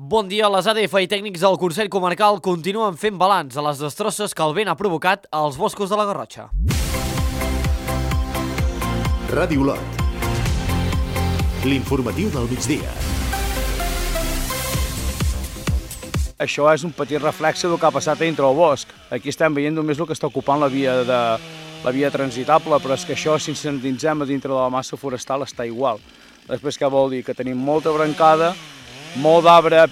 Bon dia, les ADF i tècnics del Consell Comarcal continuen fent balanç a les destrosses que el vent ha provocat als boscos de la Garrotxa. Ràdio Olot. L'informatiu del migdia. Això és un petit reflexe del que ha passat dintre el bosc. Aquí estem veient només el que està ocupant la via transitable, però és que això, si ens endinsem a dintre de la massa forestal, està igual. Després què vol dir? Que tenim molta brancada, molt d'arbre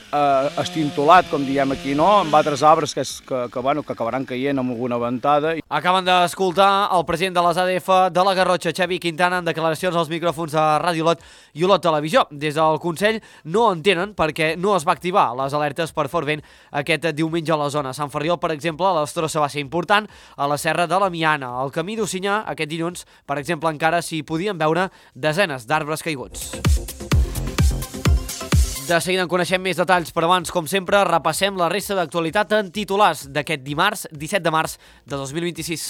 estintolat, com diem aquí, no? Amb altres arbres que acabaran caient amb alguna ventada. Acaben d'escoltar el president de les ADF de la Garrotxa, Xavi Quintana, en declaracions als micròfons de Ràdio Olot i Olot Televisió. Des del Consell no entenen perquè no es va activar les alertes per fort vent aquest diumenge a la zona. A Sant Ferriol, per exemple, la destrossa va ser important, a la Serra de la Miana. Al camí d'Ocinyà, aquest dilluns, per exemple, encara s'hi podien veure desenes d'arbres caiguts. De seguida en coneixem més detalls, però abans, com sempre, repassem la resta d'actualitat en titulars d'aquest dimarts, 17 de març de 2026.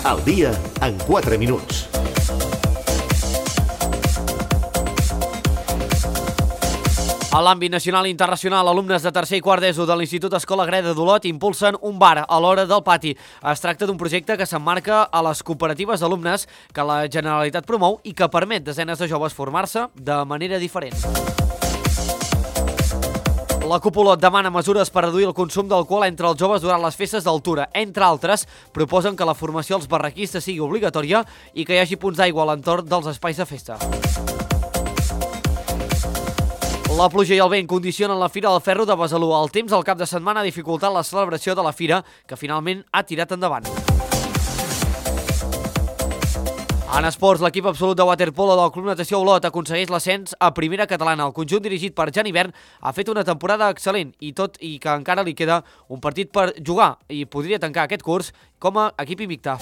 El dia en 4 minuts. A l'àmbit nacional i internacional, alumnes de tercer i quart d'ESO de l'Institut Escola Agreda d'Olot impulsen un bar a l'hora del pati. Es tracta d'un projecte que s'emmarca a les cooperatives d'alumnes que la Generalitat promou i que permet desenes de joves formar-se de manera diferent. La Cúpula demana mesures per reduir el consum d'alcohol entre els joves durant les festes d'altura. Entre altres, proposen que la formació als barraquistes sigui obligatòria i que hi hagi punts d'aigua a l'entorn dels espais de festa. La pluja i el vent condicionen la Fira del Ferro de Besalú. El temps al cap de setmana ha dificultat la celebració de la fira, que finalment ha tirat endavant. En esports, l'equip absolut de waterpolo del Club Natació Olot aconsegueix l'ascens a primera catalana. El conjunt dirigit per Jan Hivern ha fet una temporada excel·lent i tot i que encara li queda un partit per jugar i podria tancar aquest curs com a equip invicte.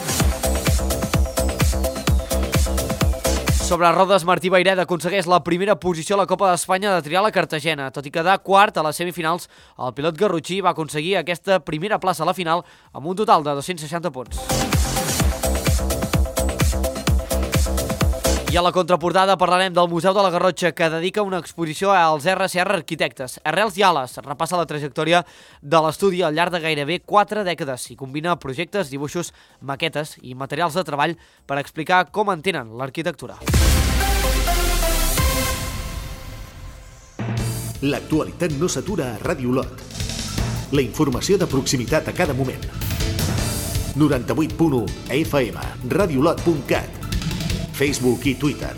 Sobre rodes, Martí Bairet aconsegueix la primera posició a la Copa d'Espanya de trial a Cartagena. Tot i quedar quart a les semifinals, el pilot garrotxí va aconseguir aquesta primera plaça a la final amb un total de 260 punts. I a la contraportada parlarem del Museu de la Garrotxa, que dedica una exposició als RCR Arquitectes. Arrels i ales repassa la trajectòria de l'estudi al llarg de gairebé 4 dècades i combina projectes, dibuixos, maquetes i materials de treball per explicar com entenen l'arquitectura. L'actualitat no s'atura a Ràdio Olot. La informació de proximitat a cada moment. 98.1 FM, radioolot.cat. Facebook i Twitter.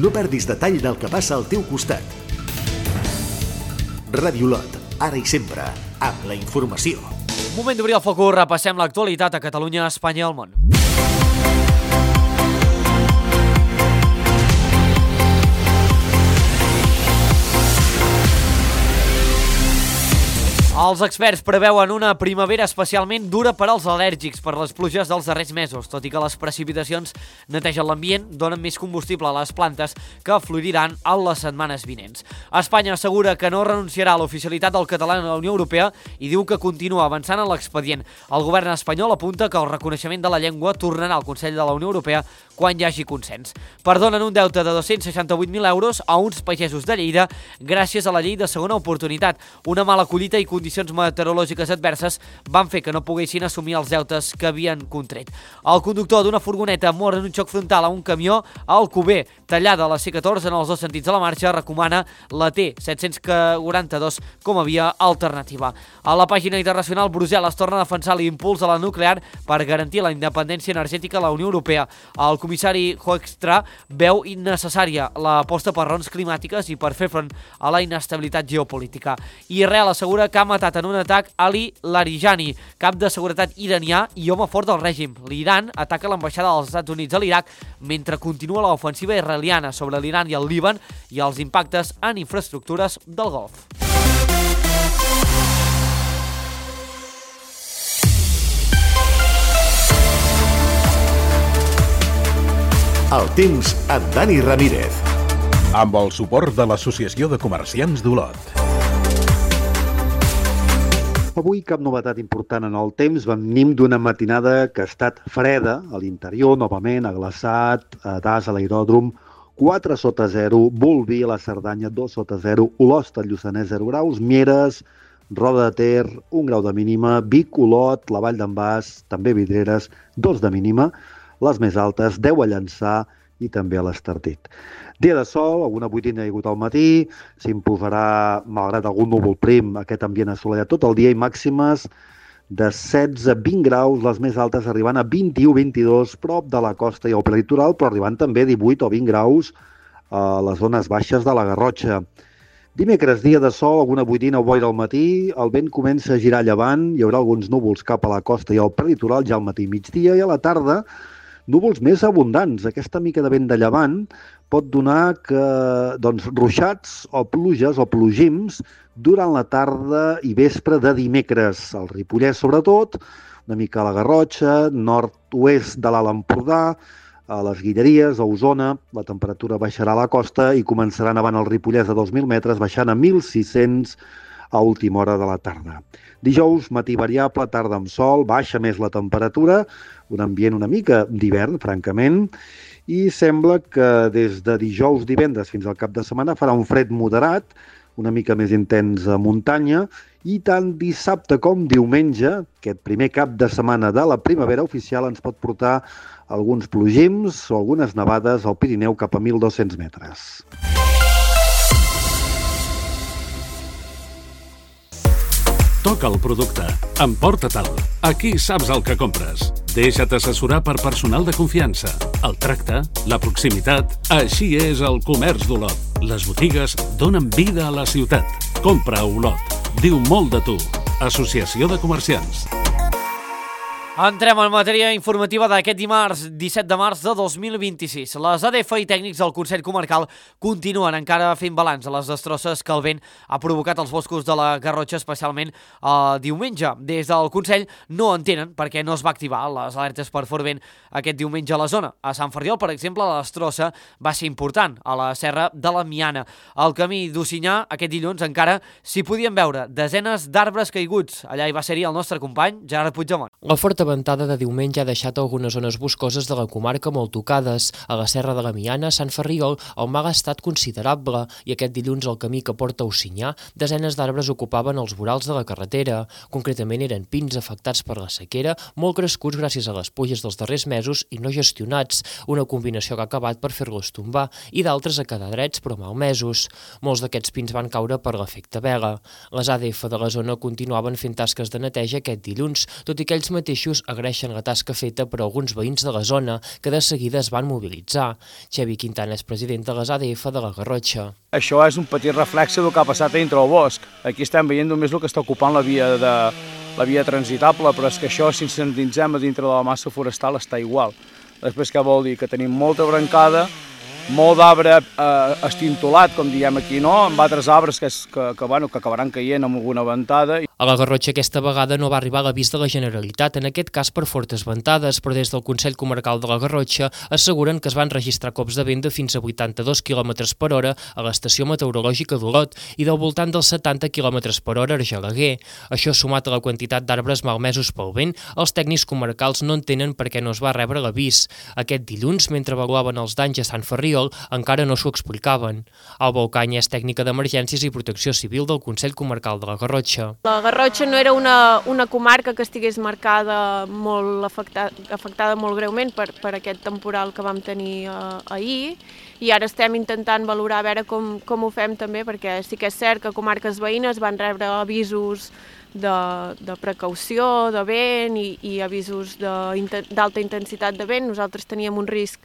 No perdis detall del que passa al teu costat. Ràdio Olot, ara i sempre, amb la informació. Moment d'obrir el focus, repassem l'actualitat a Catalunya, Espanya i el món. Els experts preveuen una primavera especialment dura per als al·lèrgics per les pluges dels darrers mesos, tot i que les precipitacions netegen l'ambient, donen més combustible a les plantes que floriran en les setmanes vinents. Espanya assegura que no renunciarà a l'oficialitat del català en la Unió Europea i diu que continua avançant en l'expedient. El govern espanyol apunta que el reconeixement de la llengua tornarà al Consell de la Unió Europea quan hi hagi consens. Perdonen un deute de 268.000 euros a uns pagesos de Lleida gràcies a la llei de segona oportunitat. Una mala collita i condicions meteorològiques adverses van fer que no poguessin assumir els deutes que havien contret. El conductor d'una furgoneta mor en un xoc frontal a un camió a Alcover, tallada a la C14 en els dos sentits de la marxa, recomana la T742 com a via alternativa. A la pàgina internacional, Brussel·les torna a defensar l'impuls a la nuclear per garantir la independència energètica a la Unió Europea. El comissari Hoekstra veu innecessària l'aposta per raons climàtiques i per fer front a la inestabilitat geopolítica. Israel assegura que ha matat en un atac Ali Larijani, cap de seguretat iranià i home fort del règim. L'Iran ataca l'ambaixada dels Estats Units a l'Iraq mentre continua l'ofensiva israeliana sobre l'Iran i el Líban i els impactes en infraestructures del Golf. El temps amb Dani Ramírez. Amb el suport de l'Associació de Comerciants d'Olot. Avui cap novetat important en el temps. Venim d'una matinada que ha estat freda a l'interior, novament, ha glaçat, das a l'aeròdrom, 4 sota 0, Bolvir a la Cerdanya 2 sota 0, Olost al Lluçanès 0 graus, Mieres, Roda de Ter 1 grau de mínima, Vic, Olot, la Vall d'en Bas, també Vidreres 2 de mínima, les més altes 10 a Llançà i també a l'Estartit. Dia de sol, alguna boirina hi ha hagut al matí, s'imposarà, malgrat algun núvol prim, aquest ambient assolellat tot el dia i màximes de 16 a 20 graus, les més altes arribant a 21-22 prop de la costa i al prelitoral, però arribant també a 18 o 20 graus a les zones baixes de la Garrotxa. Dimecres, dia de sol, alguna boirina o boira al matí, el vent comença a girar a llevant, hi haurà alguns núvols cap a la costa i al prelitoral ja al matí i migdia, i a la tarda núvols més abundants. Aquesta mica de vent de llevant pot donar ruixats o pluges o plogims durant la tarda i vespre de dimecres. Al Ripollès, sobretot, una mica a la Garrotxa, nord-oest de l'Alt Empordà, a les Guilleries, a Osona, la temperatura baixarà a la costa i començarà nevant al Ripollès a 2.000 metres, baixant a 1.600 a última hora de la tarda. Dijous, matí variable, tarda amb sol, baixa més la temperatura, un ambient una mica d'hivern, francament, i sembla que des de dijous, divendres fins al cap de setmana farà un fred moderat, una mica més intens a muntanya, i tant dissabte com diumenge, aquest primer cap de setmana de la primavera oficial, ens pot portar alguns plogims o algunes nevades al Pirineu cap a 1.200 metres. Toca el producte. Emporta-te'l. Aquí saps el que compres. Deixa't assessorar per personal de confiança. El tracte, la proximitat... Així és el comerç d'Olot. Les botigues donen vida a la ciutat. Compra a Olot. Diu molt de tu. Associació de Comerciants. Entrem en matèria informativa d'aquest dimarts, 17 de març de 2026. Les ADF i tècnics del Consell Comarcal continuen encara fent balanç a les destrosses que el vent ha provocat als boscos de la Garrotxa, especialment diumenge. Des del Consell no entenen per què no es va activar les alertes per fort vent aquest diumenge a la zona. A Sant Ferriol, per exemple, la destrossa va ser important, a la serra de la Miana. Al camí d'Ocinyà, aquest dilluns encara s'hi podien veure desenes d'arbres caiguts. Allà hi va ser-hi el nostre company, Gerard Puigdemont. La forta ventada de diumenge ha deixat algunes zones boscoses de la comarca molt tocades. A la serra de la Miana, a Sant Ferriol, el mal ha estat considerable i aquest dilluns al camí que porta a Ocinyà, desenes d'arbres ocupaven els vorals de la carretera. Concretament eren pins afectats per la sequera, molt crescuts gràcies a les pluges dels darrers mesos i no gestionats, una combinació que ha acabat per fer-los tombar, i d'altres a quedar drets però malmesos. Molts d'aquests pins van caure per l'efecte vela. Les ADF de la zona continuaven fent tasques de neteja aquest dilluns, tot i que ells mateixos agraeixen la tasca feta per alguns veïns de la zona, que de seguida es van mobilitzar. Xevi Quintana és president de les ADF de la Garrotxa. Això és un petit reflexe del que ha passat dintre del bosc. Aquí estem veient només el que està ocupant la via transitable, però és que això, si ens endinsem a dintre de la massa forestal, està igual. Després què vol dir? Que tenim molta brancada, molt d'arbre estintolat, com diem aquí, no? Amb altres arbres que acabaran caient amb alguna ventada. A la Garrotxa aquesta vegada no va arribar l'avís de la Generalitat, en aquest cas per fortes ventades, però des del Consell Comarcal de la Garrotxa asseguren que es van registrar cops de vent de fins a 82 km per hora a l'estació meteorològica d'Olot i del voltant dels 70 km per hora a Argelaguer. Això sumat a la quantitat d'arbres malmesos pel vent, els tècnics comarcals no entenen per què no es va rebre l'avís. Aquest dilluns, mentre avaluaven els danys a Sant Ferriol, encara no s'ho explicaven. Alba Ocaña és tècnica d'emergències i protecció civil del Consell Comarcal de la Garrotxa. La Garrotxa no era una comarca que estigués marcada molt afectada molt greument per aquest temporal que vam tenir ahir, i ara estem intentant valorar a veure com ho fem també, perquè sí que és cert que comarques veïnes van rebre avisos de precaució, de vent i avisos d'alta intensitat de vent. Nosaltres teníem un risc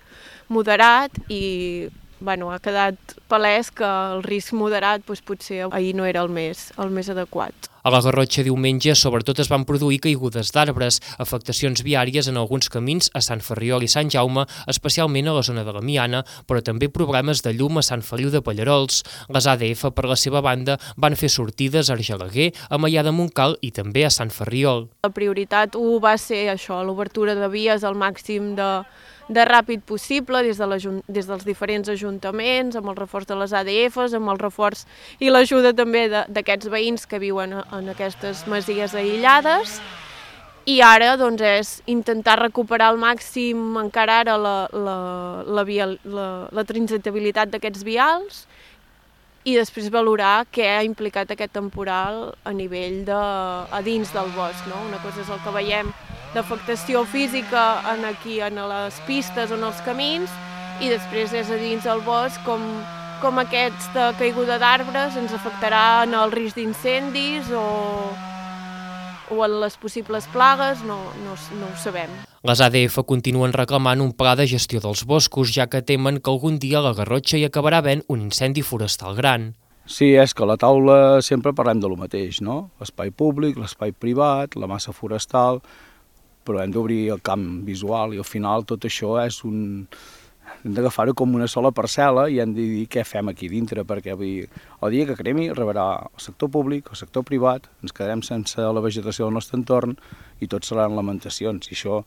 moderat i ha quedat palès que el risc moderat potser ahir no era el més adequat. A la Garrotxa diumenge sobretot es van produir caigudes d'arbres, afectacions viàries en alguns camins a Sant Ferriol i Sant Jaume, especialment a la zona de la Miana, però també problemes de llum a Sant Feliu de Pallarols. Les ADF, per la seva banda, van fer sortides a Argelaguer, a Maià de Montcal i també a Sant Ferriol. La prioritat 1 va ser això, l'obertura de vies al màxim de ràpid possible des dels diferents ajuntaments, amb el reforç de les ADFs, amb el reforç i l'ajuda també d'aquests veïns que viuen en aquestes masies aïllades. I ara doncs, és intentar recuperar al màxim encara ara la transitabilitat d'aquests vials i després valorar què ha implicat aquest temporal a nivell a dins del bosc. No? Una cosa és el que veiem d'afectació física aquí en les pistes o en els camins i després és a dins del bosc com aquesta caiguda d'arbres ens afectarà en el risc d'incendis o en les possibles plagues, no ho sabem. Les ADF continuen reclamant un pla de gestió dels boscos, ja que temen que algun dia la Garrotxa hi acabarà havent un incendi forestal gran. Sí, és que a la taula sempre parlem de lo mateix, no? L'espai públic, l'espai privat, la massa forestal, però hem d'obrir el camp visual i al final tot això és hem d'agafar-ho com una sola parcel·la i hem de dir què fem aquí dintre, perquè el dia que cremi rebrà el sector públic, el sector privat, ens quedarem sense la vegetació del nostre entorn i tot seran lamentacions. I això,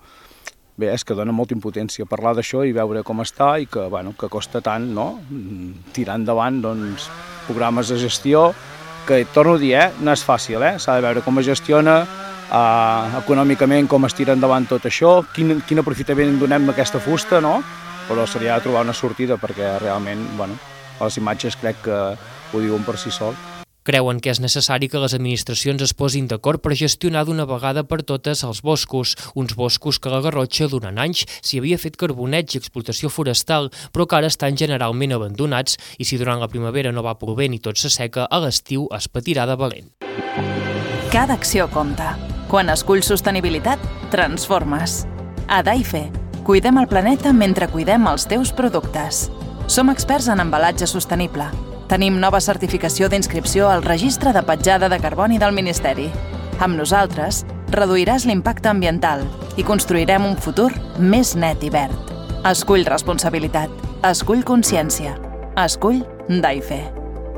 bé, és que dona molta impotència parlar d'això i veure com està i que, bueno, que costa tant, no?, tirar endavant, doncs, programes de gestió, que, torno a dir, no és fàcil, s'ha de veure com es gestiona, econòmicament com es tira endavant tot això, quin aprofitament donem a aquesta fusta, no?, però seria trobar una sortida perquè realment, bueno, les imatges crec que ho diuen per si sol. Creuen que és necessari que les administracions es posin d'acord per gestionar d'una vegada per totes els boscos, uns boscos que a la Garrotxa durant anys s'hi havia fet carboneig i explotació forestal, però que ara estan generalment abandonats i si durant la primavera no va plovent i tot s'asseca, a l'estiu es patirà de valent. Cada acció compta. Quan esculls sostenibilitat, transformes. A Daife, cuidem el planeta mentre cuidem els teus productes. Som experts en embalatge sostenible. Tenim nova certificació d'inscripció al Registre de Petjada de Carboni del Ministeri. Amb nosaltres, reduiràs l'impacte ambiental i construirem un futur més net i verd. Escull responsabilitat. Escull consciència. Escull Daife.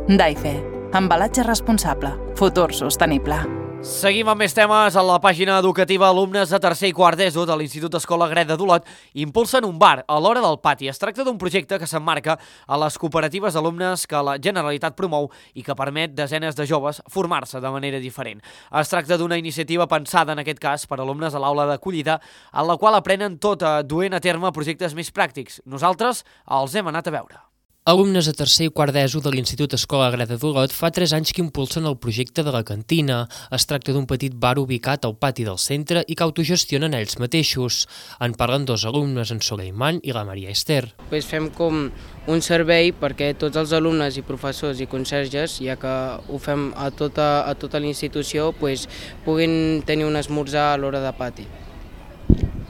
Daife. Embalatge responsable. Futur sostenible. Seguim amb més temes. A la pàgina educativa, alumnes de tercer i quart d'ESO de l'Institut Escola Greda d'Olot impulsen un bar a l'hora del pati. Es tracta d'un projecte que s'emmarca a les cooperatives d'alumnes que la Generalitat promou i que permet desenes de joves formar-se de manera diferent. Es tracta d'una iniciativa pensada, en aquest cas, per alumnes a l'aula d'acollida, en la qual aprenen tot duent a terme projectes més pràctics. Nosaltres els hem anat a veure. Alumnes de tercer i quart d'ESO de l'Institut Escola Greda d'Olot fa 3 anys que impulsen el projecte de la cantina. Es tracta d'un petit bar ubicat al pati del centre i que autogestionen ells mateixos. En parlen 2 alumnes, en Soleiman i la Maria Esther. Fem com un servei perquè tots els alumnes i professors i conserges, ja que ho fem a tota la institució, puguin tenir un esmorzar a l'hora de pati.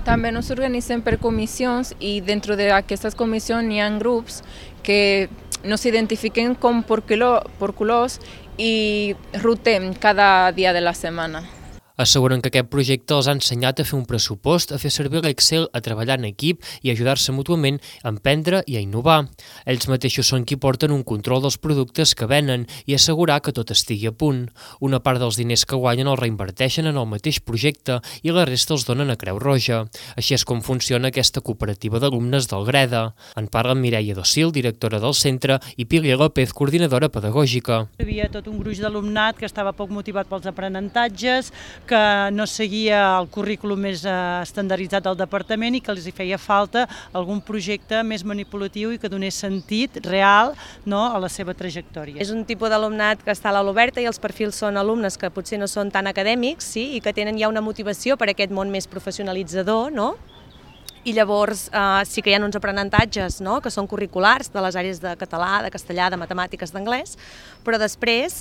També nos organitzem per comissions i dentro d'aquestes comissions hi ha grups que nos identifiquen com per colors i rotem cada dia de la setmana. Asseguren que aquest projecte els ha ensenyat a fer un pressupost, a fer servir l'Excel, a treballar en equip i a ajudar-se mútuament a emprendre i a innovar. Ells mateixos són qui porten un control dels productes que venen i assegurar que tot estigui a punt. Una part dels diners que guanyen els reinverteixen en el mateix projecte i la resta els donen a Creu Roja. Així és com funciona aquesta cooperativa d'alumnes del Greda. En parlen Mireia Docil, directora del centre, i Pília López, coordinadora pedagògica. Hi havia tot un gruix d'alumnat que estava poc motivat pels aprenentatges, que no seguia el currículum més estandarditzat del departament i que els hi feia falta algun projecte més manipulatiu i que donés sentit real, no, a la seva trajectòria. És un tipus d'alumnat que està a l'aula oberta i els perfils són alumnes que potser no són tan acadèmics, sí, i que tenen ja una motivació per aquest món més professionalitzador, no? I llavors sí que hi ha uns aprenentatges, no?, que són curriculars de les àrees de català, de castellà, de matemàtiques, d'anglès, però després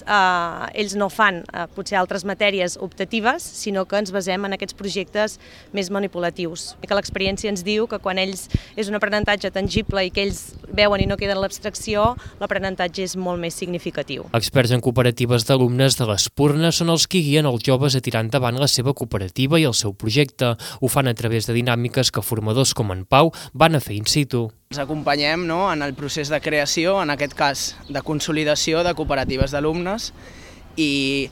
ells no fan potser altres matèries optatives, sinó que ens basem en aquests projectes més manipulatius. I que l'experiència ens diu que quan ells és un aprenentatge tangible i que ells veuen i no queda en l'abstracció, l'aprenentatge és molt més significatiu. Experts en cooperatives d'alumnes de l'Espurna són els que guien els joves a tirar endavant la seva cooperativa i el seu projecte. Ho fan a través de dinàmiques que formadors com en Pau van a fer in situ. Ens acompanyem en el procés de creació, en aquest cas de consolidació de cooperatives d'alumnes, i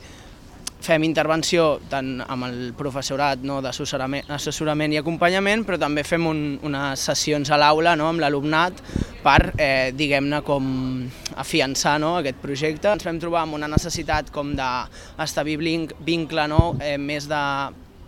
fem intervenció tant amb el professorat d'assessorament i acompanyament, però també fem unes sessions a l'aula amb l'alumnat per, diguem-ne, com afiançar aquest projecte. Ens vam trobar amb una necessitat com d'establir vincle més de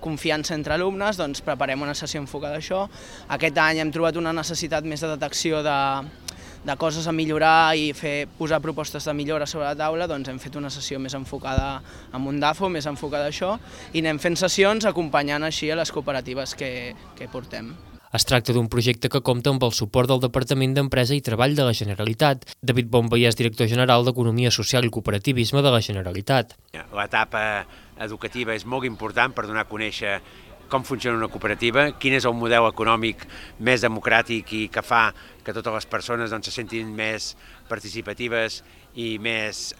confiança entre alumnes, doncs preparem una sessió enfocada a això. Aquest any hem trobat una necessitat més de detecció de coses a millorar i posar propostes de millora sobre la taula, doncs hem fet una sessió més enfocada a Mundafo, més enfocada a això, i anem fent sessions acompanyant així a les cooperatives que portem. Es tracta d'un projecte que compta amb el suport del Departament d'Empresa i Treball de la Generalitat. David Bonvallès, director general d'Economia Social i Cooperativisme de la Generalitat. L'etapa educativa és molt important per donar a conèixer com funciona una cooperativa, quin és el model econòmic més democràtic i que fa que totes les persones se sentin més participatives i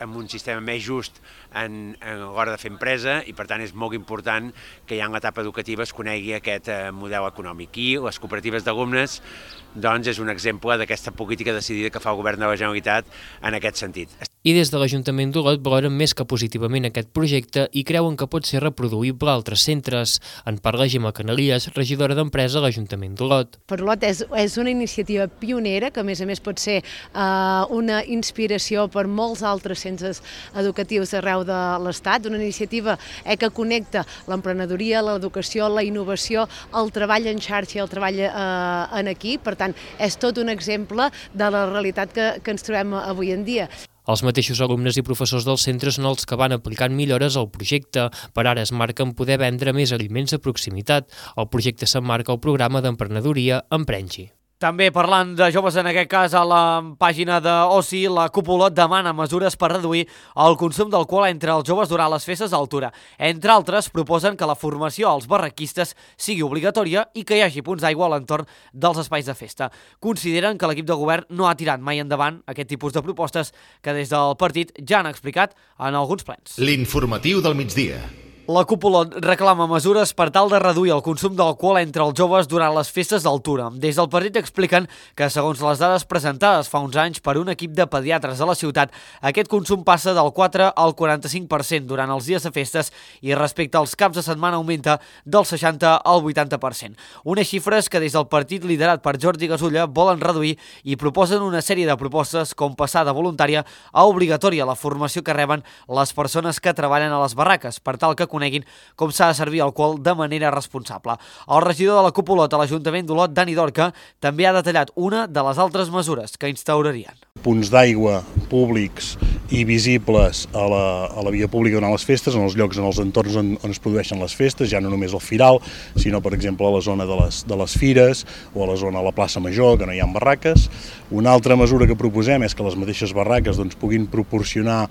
amb un sistema més just a l'hora de fer empresa, i per tant és molt important que ja en l'etapa educativa es conegui aquest model econòmic. I les cooperatives d'alumnes és un exemple d'aquesta política decidida que fa el Govern de la Generalitat en aquest sentit. I des de l'Ajuntament d'Olot valoren més que positivament aquest projecte i creuen que pot ser reproduïble a altres centres. En parla Gemma Canalies, regidora d'Empresa a l'Ajuntament d'Olot. Per Olot és una iniciativa pionera que a més pot ser una inspiració per molts altres centres educatius arreu de l'Estat, una iniciativa que connecta l'emprenedoria, l'educació, la innovació, el treball en xarxa i el treball en equip. Per tant, és tot un exemple de la realitat que ens trobem avui en dia. Els mateixos alumnes i professors del centre són els que van aplicant millores al projecte. Per ara es marca en poder vendre més aliments de proximitat. El projecte s'emmarca al programa d'emprenedoria Emprengi. També parlant de joves, en aquest cas a la pàgina d'Oci, la Cúpula demana mesures per reduir el consum d'alcohol entre els joves durant les festes d'altura. Entre altres, proposen que la formació als barraquistes sigui obligatòria i que hi hagi punts d'aigua a l'entorn dels espais de festa. Consideren que l'equip de govern no ha tirat mai endavant aquest tipus de propostes que des del partit ja han explicat en alguns plens. L'informatiu del migdia. La Cúpula reclama mesures per tal de reduir el consum d'alcohol entre els joves durant les festes d'altura. Des del partit expliquen que, segons les dades presentades fa uns anys per un equip de pediatres de la ciutat, aquest consum passa del 4 al 45% durant els dies de festes i respecte als caps de setmana augmenta del 60 al 80%. Unes xifres que des del partit liderat per Jordi Gasulla volen reduir i proposen una sèrie de propostes com passar de voluntària a obligatòria la formació que reben les persones que treballen a les barraques, per tal que coneguin com s'ha de servir alcohol de manera responsable. El regidor de la Cúpula a l'Ajuntament d'Olot, Dani Dorca, també ha detallat una de les altres mesures que instaurarien. Punts d'aigua públics i visibles a la via pública durant les festes, en els llocs, en els entorns on es produeixen les festes, ja no només al Firal, sinó, per exemple, a la zona de les fires o a la zona de la plaça Major, que no hi ha barraques. Una altra mesura que proposem és que les mateixes barraques puguin proporcionar,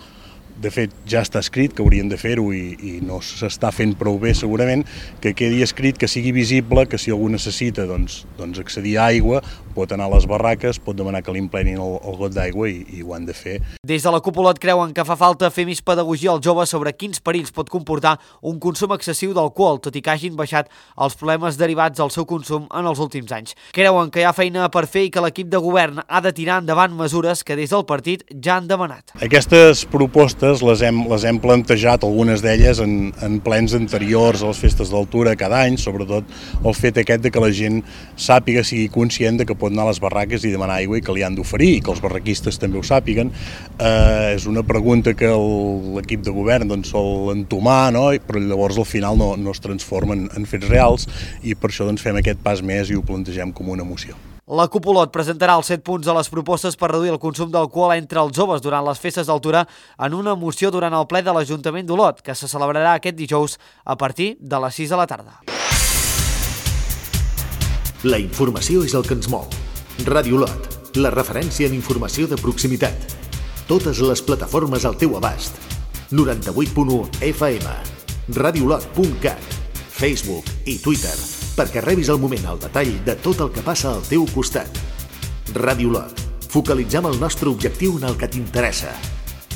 de fet ja està escrit que haurien de fer-ho i no s'està fent prou bé segurament, que quedi escrit que sigui visible que si algú necessita accedir a aigua pot anar a les barraques, pot demanar que li emplenin el got d'aigua i ho han de fer. Des de la Cúpula creuen que fa falta fer més pedagogia als joves sobre quins perills pot comportar un consum excessiu d'alcohol, tot i que hagin baixat els problemes derivats del seu consum en els últims anys. Creuen que hi ha feina per fer i que l'equip de govern ha de tirar endavant mesures que des del partit ja han demanat. Aquestes propostes les hem plantejat, algunes d'elles, en plens anteriors a les festes d'altura cada any, sobretot el fet aquest de que la gent sàpiga, sigui conscient de que pot anar a les barraques i demanar aigua i que li han d'oferir, i que els barraquistes també ho sàpiguen. És una pregunta que l'equip de govern sol entomar, però llavors al final no es transforma en fets reals i per això fem aquest pas més i ho plantegem com una moció. La Cúpula presentarà els 7 punts de les propostes per reduir el consum d'alcohol entre els joves durant les festes d'altura en una moció durant el ple de l'Ajuntament d'Olot, que se celebrarà aquest dijous a partir de les 6 de la tarda. La informació és el que ens mou. Ràdio Olot, la referència en informació de proximitat. Totes les plataformes al teu abast. 98.1 FM, radiolot.cat, Facebook i Twitter, perquè rebis al moment el detall de tot el que passa al teu costat. Ràdio Olot, focalitzem el nostre objectiu en el que t'interessa.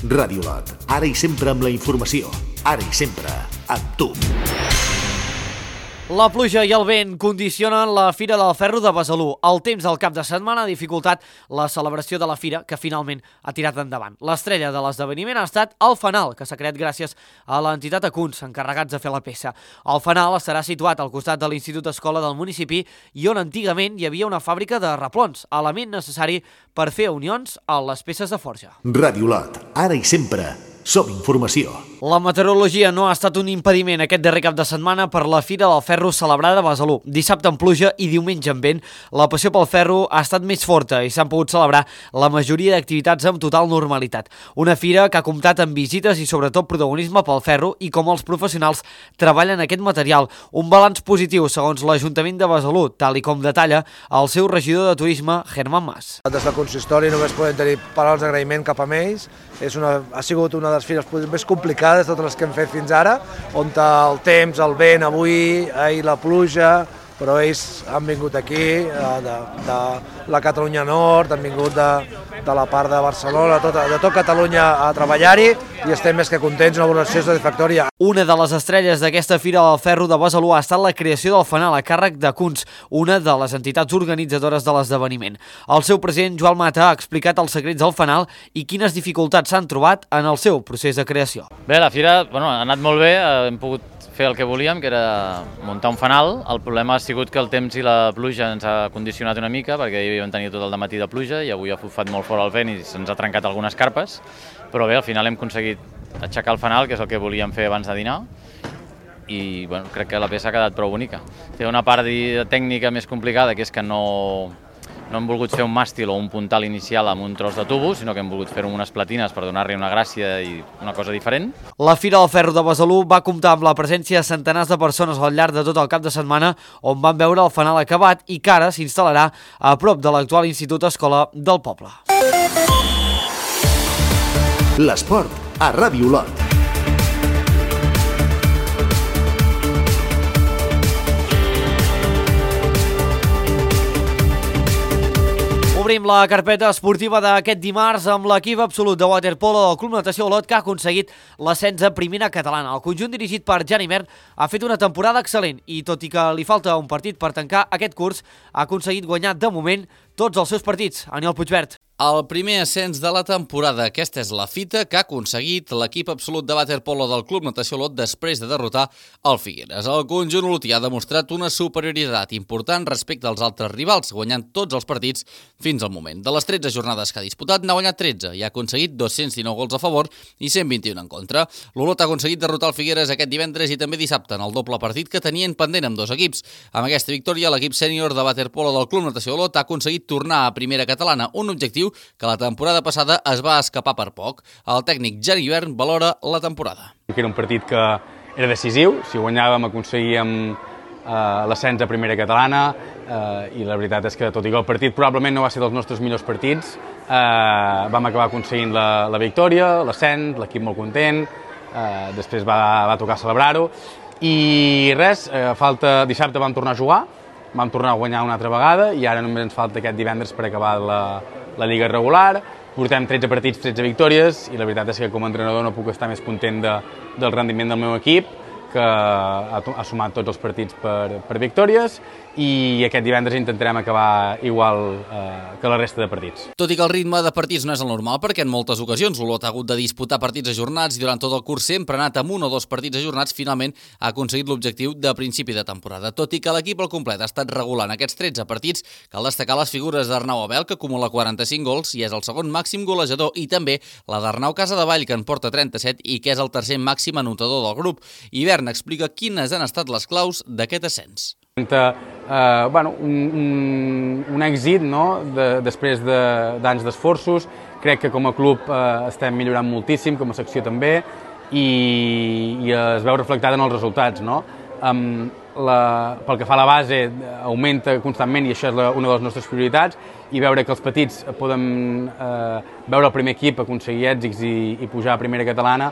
Ràdio Olot, ara i sempre amb la informació, ara i sempre amb tu. La pluja i el vent condicionen la Fira del Ferro de Besalú. El temps del cap de setmana ha dificultat la celebració de la fira, que finalment ha tirat endavant. L'estrella de l'esdeveniment ha estat el fanal, que s'ha creat gràcies a l'entitat Acuns, encarregats de fer la peça. El fanal estarà situat al costat de l'Institut Escola del municipi i on antigament hi havia una fàbrica de replons, element necessari per fer unions a les peces de forja. Ràdio Olot, ara i sempre Som informació. La meteorologia no ha estat un impediment aquest darrer cap de setmana per la Fira del Ferro celebrada a Besalú. Dissabte amb pluja i diumenge amb vent, la passió pel ferro ha estat més forta i s'han pogut celebrar la majoria d'activitats amb total normalitat. Una fira que ha comptat amb visites i sobretot protagonisme pel ferro i com els professionals treballen aquest material. Un balanç positiu segons l'Ajuntament de Besalú, tal i com detalla el seu regidor de turisme, Germán Mas. Des del consistori només podem tenir paraules d'agraïment cap a ells. Ha sigut una de les fires més complicades de totes les que hem fet fins ara, on el temps, el vent, avui, ahir la pluja, però ells han vingut aquí, de la Catalunya Nord, han vingut de la part de Barcelona, de tot Catalunya a treballar-hi i estem més que contents, una valoració satisfactòria. Una de les estrelles d'aquesta Fira del Ferro de Besalú ha estat la creació del fanal a càrrec de Kunz, una de les entitats organitzadores de l'esdeveniment. El seu president, Joan Mata, ha explicat els secrets del fanal i quines dificultats s'han trobat en el seu procés de creació. Bé, la fira ha anat molt bé, hem pogut fer el que volíem, que era muntar un fanal. El problema ha sigut que el temps i la pluja ens ha condicionat una mica, perquè ahir vam tenir tot el dematí de pluja i avui ha bufat molt fort el vent i se'ns ha trencat algunes carpes, però bé, al final hem aconseguit aixecar el fanal, que és el que volíem fer abans de dinar, i bueno, crec que la peça ha quedat prou bonica. Té una part tècnica més complicada, que és que no hem volgut fer un màstil o un puntal inicial amb un tros de tubo, sinó que hem volgut fer-ho amb unes platines per donar-li una gràcia i una cosa diferent. La Fira del Ferro de Besalú va comptar amb la presència de centenars de persones al llarg de tot el cap de setmana, on van veure el fanal acabat i que ara s'instal·larà a prop de l'actual Institut Escola del Poble. L'esport a Ràdio Olot. Obrim la carpeta esportiva d'aquest dimarts amb l'equip absolut de waterpolo del Club Natació Olot, que ha aconseguit l'ascens a primera catalana. El conjunt dirigit per Jan Imert ha fet una temporada excel·lent i, tot i que li falta un partit per tancar aquest curs, ha aconseguit guanyar de moment tots els seus partits. Aniol Puigvert. El primer ascens de la temporada. Aquesta és la fita que ha aconseguit l'equip absolut de waterpolo del Club Natació Olot després de derrotar el Figueres. El conjunt olotí ha demostrat una superioritat important respecte als altres rivals, guanyant tots els partits fins al moment. De les 13 jornades que ha disputat, n'ha guanyat 13 i ha aconseguit 219 gols a favor i 121 en contra. L'Olot ha aconseguit derrotar el Figueres aquest divendres i també dissabte en el doble partit que tenien pendent amb dos equips. Amb aquesta victòria, l'equip sènior de waterpolo del Club Natació Olot ha aconseguit tornar a primera catalana, un objectiu que la temporada passada es va escapar per poc. El tècnic Jan Imert valora la temporada. Era un partit que era decisiu, si guanyàvem aconseguíem l'ascens a primera catalana i la veritat és que, tot i que el partit probablement no va ser dels nostres millors partits, vam acabar aconseguint la victòria, l'ascens, l'equip molt content, després va tocar celebrar-ho i res, dissabte vam tornar a jugar, vam tornar a guanyar una altra vegada i ara només ens falta aquest divendres per acabar la Lliga regular. Portem 13 partits, 13 victòries i la veritat és que com a entrenador no puc estar més content del rendiment del meu equip, que ha sumat tots els partits per victòries i aquest divendres intentarem acabar igual que la resta de partits. Tot i que el ritme de partits no és el normal, perquè en moltes ocasions l'Olot ha hagut de disputar partits ajornats i durant tot el curs sempre ha anat amb un o dos partits ajornats, finalment ha aconseguit l'objectiu de principi de temporada. Tot i que l'equip al complet ha estat regular en aquests 13 partits, cal destacar les figures d'Arnau Abel, que acumula 45 gols i és el segon màxim golejador, i també la d'Arnau Casadevall, que en porta 37 i que és el tercer màxim anotador del grup. Ivern explica quines han estat les claus d'aquest ascens. Un èxit després d'anys d'esforços. Crec que com a club estem millorant moltíssim, com a secció també, i es veu reflectada en els resultats. Pel que fa a la base, augmenta constantment i això és una de les nostres prioritats, i veure que els petits poden veure el primer equip aconseguir èxits i pujar a primera catalana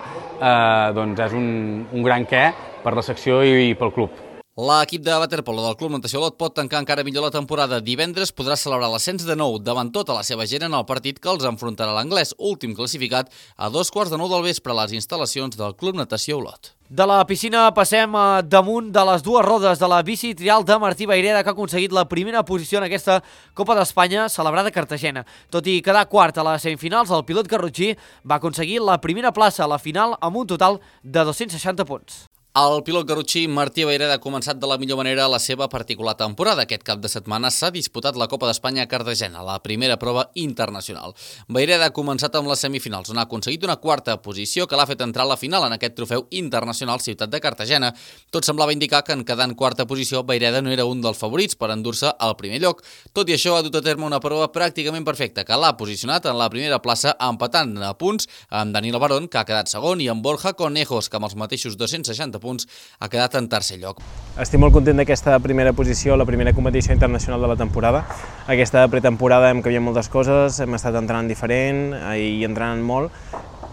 doncs és un gran què per la secció i pel club. L'equip de waterpolo del Club Natació Olot pot tancar encara millor la temporada. Divendres podrà celebrar l'ascens de nou davant tota la seva gent en el partit que els enfrontarà l'Anglès, últim classificat, a 2:15 del vespre a les instal·lacions del Club Natació Olot. De la piscina passem damunt de les dues rodes de la bici trial de Martí Vayreda, que ha aconseguit la primera posició en aquesta Copa d'Espanya celebrada a Cartagena. Tot i quedar quart a les semifinals, el pilot garrotxí va aconseguir la primera plaça a la final amb un total de 260 punts. El pilot garrotxí Martí Vayreda ha començat de la millor manera la seva particular temporada. Aquest cap de setmana s'ha disputat la Copa d'Espanya a Cartagena, la primera prova internacional. Vayreda ha començat amb les semifinals, on ha aconseguit una quarta posició que l'ha fet entrar a la final en aquest trofeu internacional Ciutat de Cartagena. Tot semblava indicar que en quedar en quarta posició, Vayreda no era un dels favorits per endur-se al primer lloc. Tot i això, ha dut a terme una prova pràcticament perfecta, que l'ha posicionat en la primera plaça, empatant a punts amb Danilo Barón, que ha quedat segon, i amb Borja Conejos, que amb els mateixos 260 punts ha quedat en tercer lloc. Estic molt content d'aquesta primera posició, la primera competició internacional de la temporada. Aquesta pretemporada hem canviat moltes coses, hem estat entrenant diferent i entrenant molt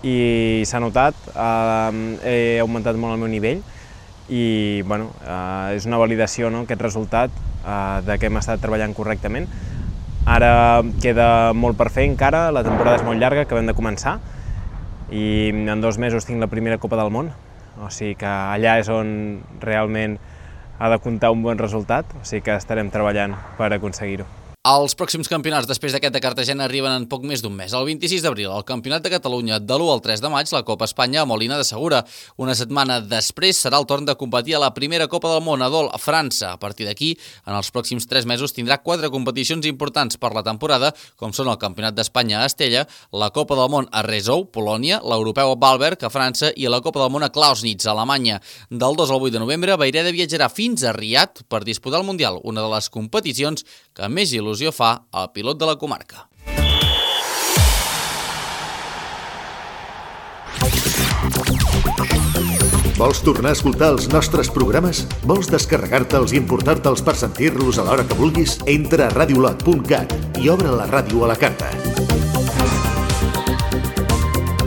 i s'ha notat, he augmentat molt el meu nivell i bueno, és una validació, no, aquest resultat de que hem estat treballant correctament. Ara queda molt per fer encara, la temporada és molt llarga, acabem de començar i en 2 mesos tinc la primera Copa del Món. O sigui que allà és on realment ha de comptar un bon resultat, o sigui que estarem treballant per aconseguir-ho. Els pròxims campionats després d'aquest de Cartagena arriben en poc més d'un mes. El 26 d'abril, el Campionat de Catalunya, de l'1 al 3 de maig, la Copa Espanya a Molina de Segura. Una setmana després serà el torn de competir a la primera Copa del Món a Dol, a França. A partir d'aquí, en els pròxims 3 mesos tindrà 4 competicions importants per la temporada, com són el Campionat d'Espanya a Estella, la Copa del Món a Rezou, Polònia, l'Europeu a Bamberg, a França, i la Copa del Món a Klausnitz, a Alemanya. Del 2 al 8 de novembre, Vayreda viatjarà fins a Riad per disputar el Mundial, una de les competicions que més il·lusió fa al pilot de la comarca. Vols tornar a escoltar els nostres programes? Vols descarregar-te'ls i importar-te'ls per sentir-los a l'hora que vulguis? Entra a radiolot.cat i obre la ràdio a la carta.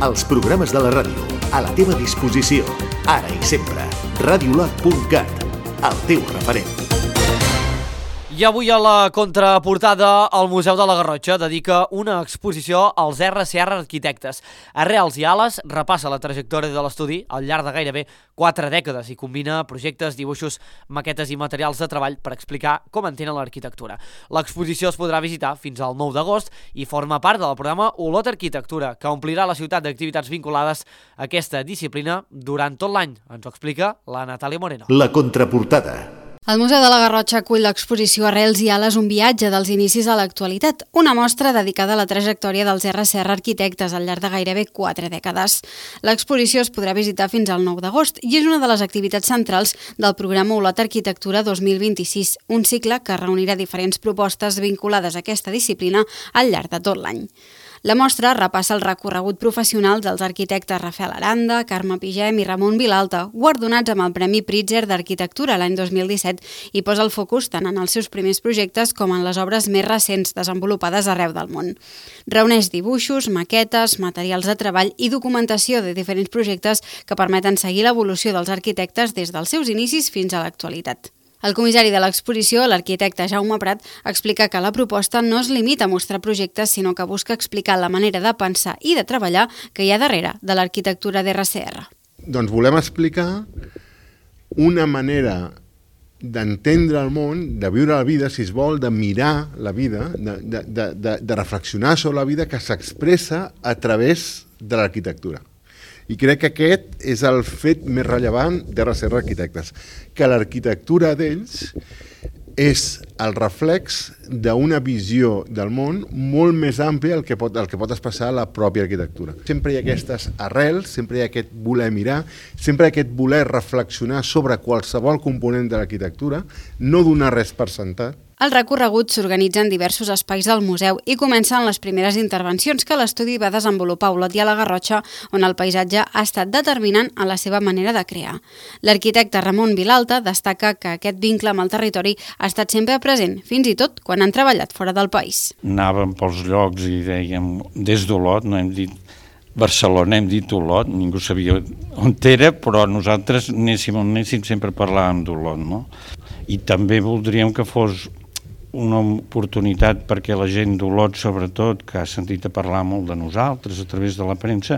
Els programes de la ràdio, a la teva disposició, ara i sempre. Radiolot.cat, el teu referent. I avui a la contraportada el Museu de la Garrotxa dedica una exposició als RCR Arquitectes. Arrels i ales repassa la trajectòria de l'estudi al llarg de gairebé 4 dècades i combina projectes, dibuixos, maquetes i materials de treball per explicar com entenen l'arquitectura. L'exposició es podrà visitar fins al 9 d'agost i forma part del programa Olot Arquitectura, que omplirà la ciutat d'activitats vinculades a aquesta disciplina durant tot l'any. Ens ho explica la Natàlia Moreno. La contraportada. El Museu de la Garrotxa acull l'exposició Arrels i ales, un viatge dels inicis a l'actualitat, una mostra dedicada a la trajectòria dels RCR Arquitectes al llarg de gairebé 4 dècades. L'exposició es podrà visitar fins al 9 d'agost i és una de les activitats centrals del programa Olot Arquitectura 2026, un cicle que reunirà diferents propostes vinculades a aquesta disciplina al llarg de tot l'any. La mostra repassa el recorregut professional dels arquitectes Rafael Aranda, Carme Pigem i Ramon Vilalta, guardonats amb el Premi Pritzker d'Arquitectura l'any 2017 i posa el focus tant en els seus primers projectes com en les obres més recents desenvolupades arreu del món. Reuneix dibuixos, maquetes, materials de treball i documentació de diferents projectes que permeten seguir l'evolució dels arquitectes des dels seus inicis fins a l'actualitat. El comissari de l'exposició, l'arquitecte Jaume Prat, explica que la proposta no es limita a mostrar projectes, sinó que busca explicar la manera de pensar i de treballar que hi ha darrere de l'arquitectura d'RCR. Doncs volem explicar una manera d'entendre el món, de viure la vida, si es vol, de mirar la vida, de reflexionar sobre la vida que s'expressa a través de l'arquitectura. I crec que aquest és el fet més rellevant d'RCR Arquitectes, que l'arquitectura d'ells és el reflex d'una visió del món molt més àmplia el que pot expressar la pròpia arquitectura. Sempre hi ha aquestes arrels, sempre hi ha aquest voler mirar, sempre hi ha aquest voler reflexionar sobre qualsevol component de l'arquitectura, no donar res per sentat. El recorregut s'organitza en diversos espais del museu i comencen les primeres intervencions que l'estudi va desenvolupar a Olot i a la Garrotxa, on el paisatge ha estat determinant en la seva manera de crear. L'arquitecte Ramon Vilalta destaca que aquest vincle amb el territori ha estat sempre present, fins i tot quan han treballat fora del país. Anàvem pels llocs i dèiem, des d'Olot, no hem dit Barcelona, hem dit Olot, ningú sabia on era, però nosaltres anéssim on anéssim sempre parlàvem d'Olot, no? I també voldríem que fos una oportunitat perquè la gent d'Olot, sobretot, que ha sentit a parlar molt de nosaltres a través de la premsa,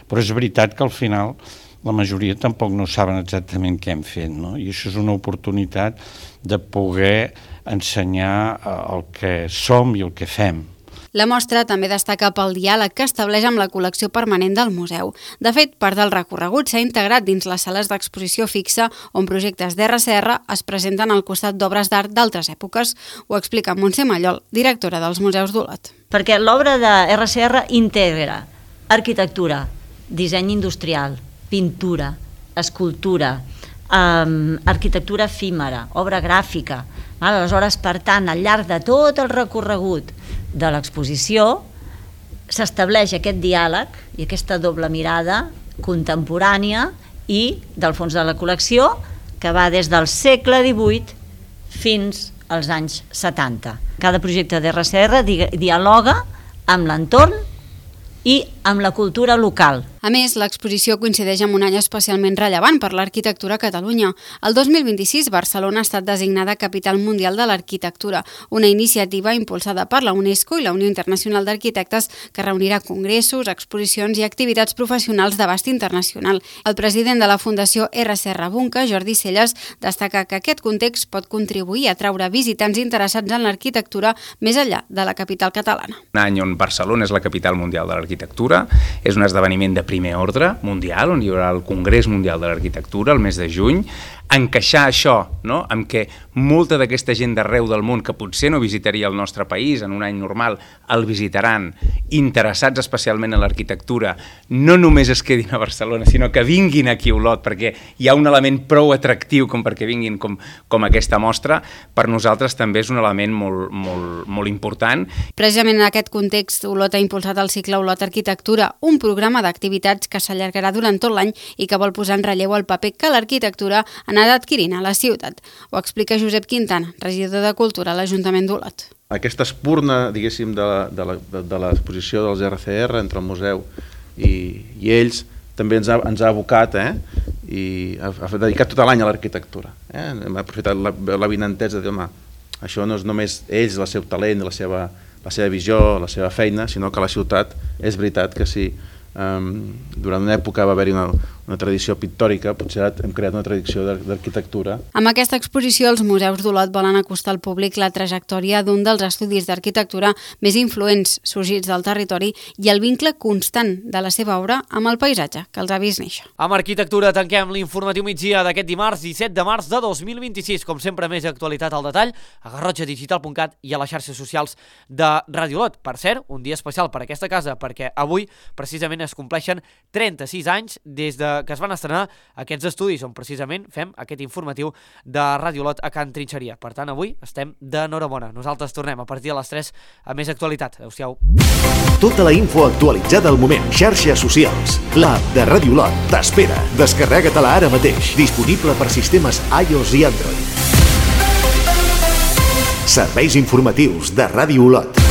però és veritat que al final la majoria tampoc no saben exactament què hem fet, no? I això és una oportunitat de poder ensenyar el que som i el que fem. La mostra també destaca pel diàleg que estableix amb la col·lecció permanent del museu. De fet, part del recorregut s'ha integrat dins les sales d'exposició fixa on projectes d'RCR es presenten al costat d'obres d'art d'altres èpoques. Ho explica Montse Mallol, directora dels Museus d'Olot. Perquè l'obra de RCR integra arquitectura, disseny industrial, pintura, escultura, arquitectura efímera, obra gràfica. Aleshores, per tant, al llarg de tot el recorregut de l'exposició s'estableix aquest diàleg i aquesta doble mirada contemporània i del fons de la col·lecció que va des del segle XVIII fins als anys 70. Cada projecte d'RCR dialoga amb l'entorn i amb la cultura local. A més, l'exposició coincideix amb un any especialment rellevant per l'arquitectura a Catalunya. El 2026, Barcelona ha estat designada Capital Mundial de l'Arquitectura, una iniciativa impulsada per la UNESCO i la Unió Internacional d'Arquitectes que reunirà congressos, exposicions i activitats professionals d'abast internacional. El president de la Fundació RCR Bunca, Jordi Celles, destaca que aquest context pot contribuir a atraure visitants interessats en l'arquitectura més enllà de la capital catalana. Un any on Barcelona és la capital mundial de l'arquitectura, és un esdeveniment de primer ordre mundial, on hi haurà el Congrés Mundial de l'Arquitectura el mes de juny, encaixar això, no?, amb que molta d'aquesta gent d'arreu del món que potser no visitaria el nostre país en un any normal, el visitaran, interessats especialment en l'arquitectura, no només es quedin a Barcelona, sinó que vinguin aquí a Olot, perquè hi ha un element prou atractiu com perquè vinguin com aquesta mostra, per nosaltres també és un element molt important. Precisament en aquest context, Olot ha impulsat el cicle Olot Arquitectura, un programa d'activitats que s'allargarà durant tot l'any i que vol posar en relleu el paper que l'arquitectura ha anat adquirint a la ciutat. Ho explica Josep Quintana, regidor de Cultura a l'Ajuntament d'Olot. Aquesta espurna, diguéssim, de l'exposició dels RCR entre el museu i ells també ens ha abocat i ha dedicat tot l'any a l'arquitectura. Hem aprofitat l'avinentesa de dir, home, això no és només ells, el seu talent, la seva visió, la seva feina, sinó que la ciutat, és veritat que sí, durant una època va haver-hi una tradició pictòrica, potser hem creat una tradició d'arquitectura. Amb aquesta exposició, els museus d'Olot volen acostar al públic la trajectòria d'un dels estudis d'arquitectura més influents sorgits del territori i el vincle constant de la seva obra amb el paisatge que els ha vist néixer. Amb arquitectura tanquem l'informatiu migdia d'aquest dimarts 17 de març de 2026. Com sempre, més actualitat al detall a garrotxadigital.cat i a les xarxes socials de Ràdio Olot. Per cert, un dia especial per aquesta casa, perquè avui precisament es compleixen 36 anys des de que es van estrenar aquests estudis on precisament fem aquest informatiu de Ràdio Olot a Can Trinxeria. Per tant, avui estem d'enhorabona. Nosaltres tornem a partir de les 3 a més actualitat. Adéu-siau. Tota la info actualitzada al moment. Xarxes socials. L'app de Ràdio Olot t'espera. Descarrega-te-la ara mateix. Disponible per sistemes iOS i Android. Serveis informatius de Ràdio Olot.